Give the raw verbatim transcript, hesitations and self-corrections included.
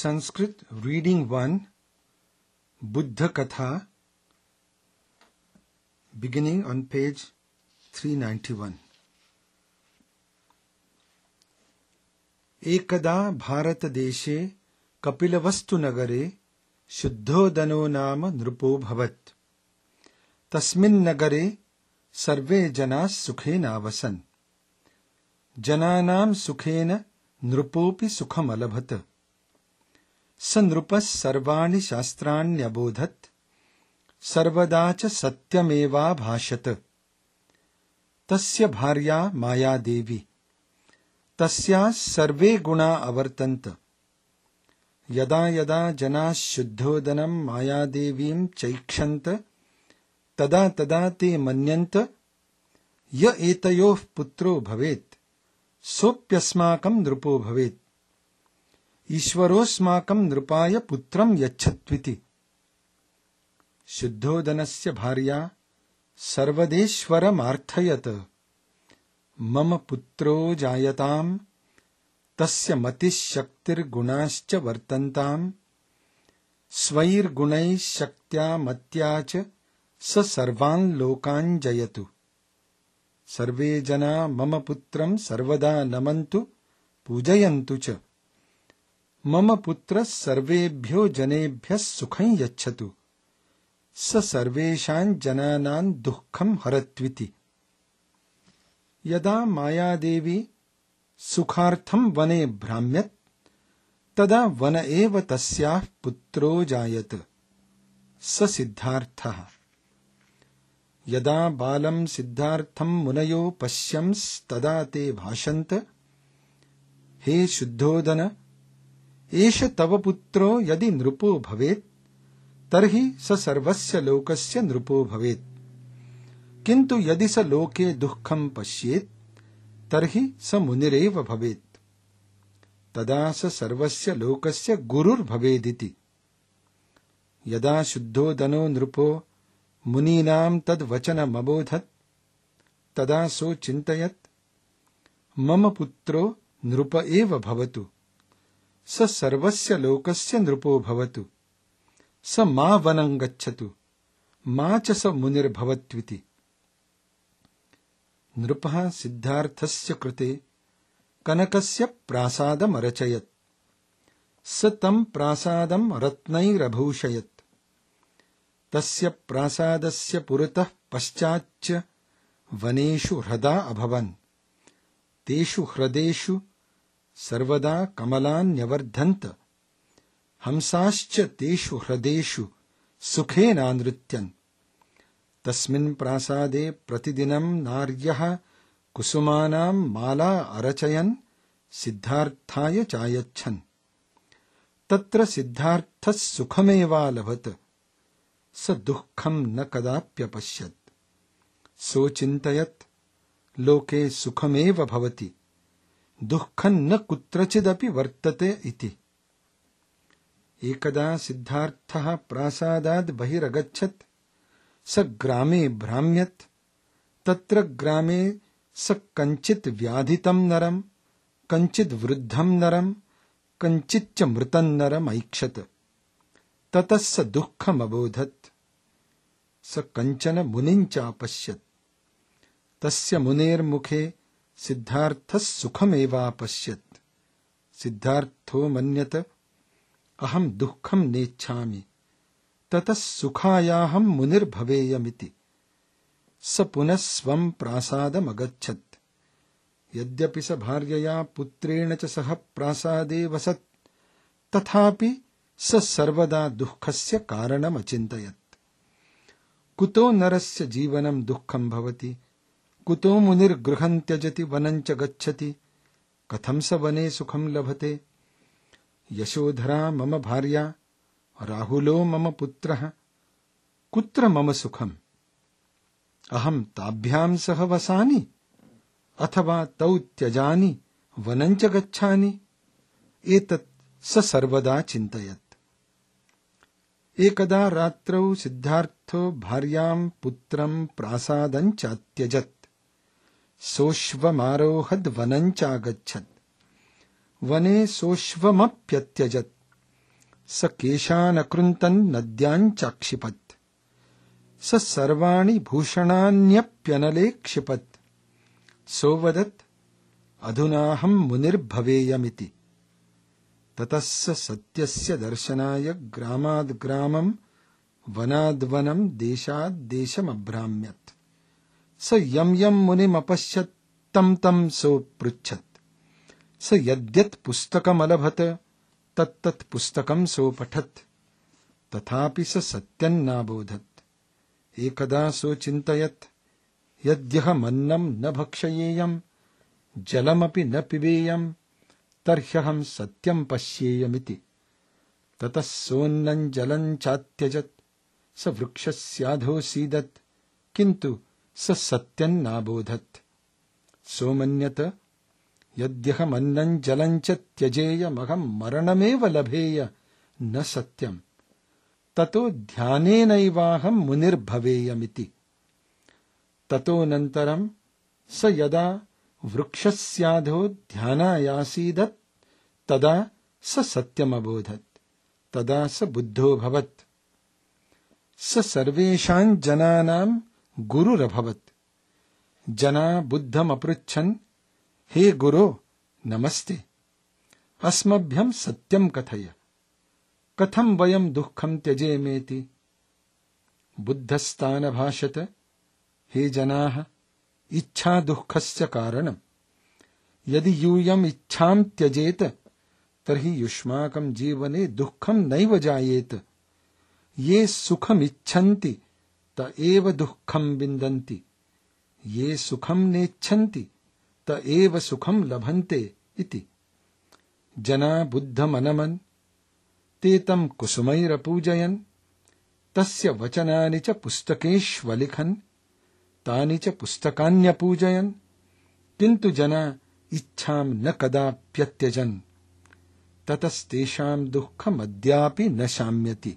Sanskrit Reading one, Buddha Katha, beginning on page three ninety-one. एकदा भारतदेशे कपिलवस्तुनगरे शुद्धोदनो नाम नृपोऽभवत्। तस्मिन् नगरे सर्वे जनाः सुखेनावसन्। जनानां सुखेन नृपोऽपि सुखमलभत। स नृपः सर्वाणि शास्त्राण्यबोधत्, सर्वदा च सत्यमेवाभाषत। तस्य भार्या मायादेवी, तस्याः सर्वे गुणा अवर्तन्त। यदा यदा जनाः शुद्धोदनं मायादेवीं चैक्षन्त, तदा तदा ते मन्यन्त य एतयोः पुत्रो भवेत्, सोऽप्यस्माकं नृपो भवेत्। ईश्वरोऽस्माकं नृपाय पुत्रं यच्छत्विति। शुद्धोदनस्य भार्या सर्वदेश्वरमार्थयत। मम पुत्रो जायताम्, तस्य मतिश्शक्तिर्गुणाश्च वर्तन्ताम्। स्वैर्गुणैः शक्त्या मत्या च स सर्वान् लोकान् जयतु। सर्वे जना मम पुत्रं सर्वदा नमन्तु, पूजयन्तु च। मम पुत्रः सर्वेभ्यो जनेभ्यः सुखं यच्छतु। स सर्वेषां जनानां दुःखं हरत्विति। यदा मायादेवी सुखार्थं वने भ्राम्यत्, तदा वन एव तस्याः पुत्रो जायत, स सिद्धार्थः। यदा बालं सिद्धार्थं मुनयो पश्यंस्तदा ते भाषन्त, हे शुद्धोदन, एष तव पुत्रो यदि नृपो भवेत्, तर्हि स सर्वस्य लोकस्य नृपो भवेत्। किन्तु यदि स लोके दुःखं पश्येत्, तर्हि स मुनिरेव भवेत्। तदा स सर्वस्य लोकस्य गुरुर्भवेदिति। यदा शुद्धोदनो नृपो मुनीनां तद्वचनमबोधत्, तदा सो चिन्तयत्, मम पुत्रो नृप एव भवतु। स सर्वस्य लोकस्य नृपो भवतु। स मा वनं गच्छतु, मा च स मुनिर्भवत्विति। नृपः सिद्धार्थस्य कृते कनकस्य प्रासादमरचयत्। स तं प्रासादं रत्नैरभूषयत्। तस्य प्रासादस्य पुरतः पश्चाच्च वनेषु ह्रदा अभवन्। तेषु ह्रदेषु सर्वदा कमलान्यवर्धन्त। हंसाश्च तेषु ह्रदेषु सुखेनानृत्यन्। तस्मिन् प्रासादे प्रतिदिनं नार्यः कुसुमानां माला अरचयन् सिद्धार्थाय चायच्छन्। तत्र सिद्धार्थः सुखमेवालभत। स दुःखं न कदाप्यपश्यत्। सोचिन्तयत्, लोके सुखमेव भवति, दुःखं न कुत्रचिदपि वर्तते इति। एकदा सिद्धार्थः प्रासादात् बहिरगच्छत्। स ग्रामे भ्राम्यत्। तत्र ग्रामे स कञ्चित् व्याधितं नरं, कञ्चित् वृद्धं नरं, कञ्चिच्च मृतं नरम् ऐक्षत। ततः स दुःखमबोधत्। स कञ्चन मुनिं चापश्यत्। तस्य मुनेर्मुखे सिद्धार्थः सुखमेवापश्यत्। सिद्धार्थो मन्यत, अहं दुःखं नेच्छामि, ततः सुखायाहं मुनिर्भवेयमिति। स पुनः स्वं प्रासादमगच्छत्। यद्यपि स भार्यया पुत्रेण च सह प्रासादे वसत्, तथापि स सर्वदा दुःखस्य कारणमचिन्तयत्। कुतो नरस्य जीवनं दुःखं भवति, कुतो मुनिर्गृहं त्यजति वनं च गच्छति, कथं स वने सुखं लभते। यशोधरा मम भार्या, राहुलो मम पुत्रः, कुत्र मम सुखम्। अहं ताभ्यां सह वसामि, अथवा तौ त्यजानि वनं च गच्छानि। एतत् स सर्वदा चिन्तयत्। एकदा रात्रौ सिद्धार्थो भार्यां पुत्रं प्रासादं चात्यजत्। सोऽश्वमारोहद् वनं चागच्छत्। वने सोऽश्वमप्यत्यजत्। स केशानकृन्तन् नद्याञ्चाक्षिपत् स सर्वाणि भूषणान्यप्यनले क्षिपत् सोवदत् अधुनाहं मुनिर्भवेयमिति। ततः स सत्यस्य दर्शनाय ग्रामाद् ग्रामं वनाद्वनं देशाद्देशमभ्राम्यत्। स यं यं मुनिमपश्यत् तं तं सोऽपृच्छत्। स यद्यत् पुस्तकमलभत तत्तत् पुस्तकं सोपठत्। तथापि स सत्यं नाबोधत्। एकदा सोचिन्तयत् यद्यहमन्नं न भक्षयेयं जलमपि न पिबेयं तर्ह्यहं सत्यं पश्येयमिति। ततः सोन्नं जलं चात्यजत्। स वृक्षस्याधोऽसीदत् किन्तु स सत्यं नाबोधत्। सोमन्यत यद्यहमन्नं जलं च त्यजेयमहं मरणमेव लभेय न सत्यम्। ततो ध्यानेनैवाहं मुनिर्भवेयमिति। ततोऽनन्तरं स यदा वृक्षस्याधो ध्यानायासीदत् तदा स सत्यमबोधत्। तदा स बुद्धोऽभवत्। स सर्वेषां जनानां गुरुरभवत्। जना बुद्धमपृच्छन् हे गुरो नमस्ते, अस्मभ्यं सत्यं कथय, कथं वयं दुःखं त्यजेमेति। बुद्धस्तानभाषत हे जनाः, इच्छा दुःखस्य कारणम्। यदि यूयम् इच्छां त्यजेत तर्हि युष्माकं जीवने दुःखं नैव जायेत। ये सुखमिच्छन्ति त एव दुःखं विन्दन्ति, ये सुखं नेच्छन्ति त एव सुखं लभन्ते इति। जना बुद्धमनमन् ते तं कुसुमैरपूजयन् तस्य वचनानि च पुस्तकेष्वलिखन् तानि च पुस्तकान्यपूजयन् किन्तु जना इच्छां न कदाप्यत्यजन्। ततस्तेषां दुःखमद्यापि न शाम्यति।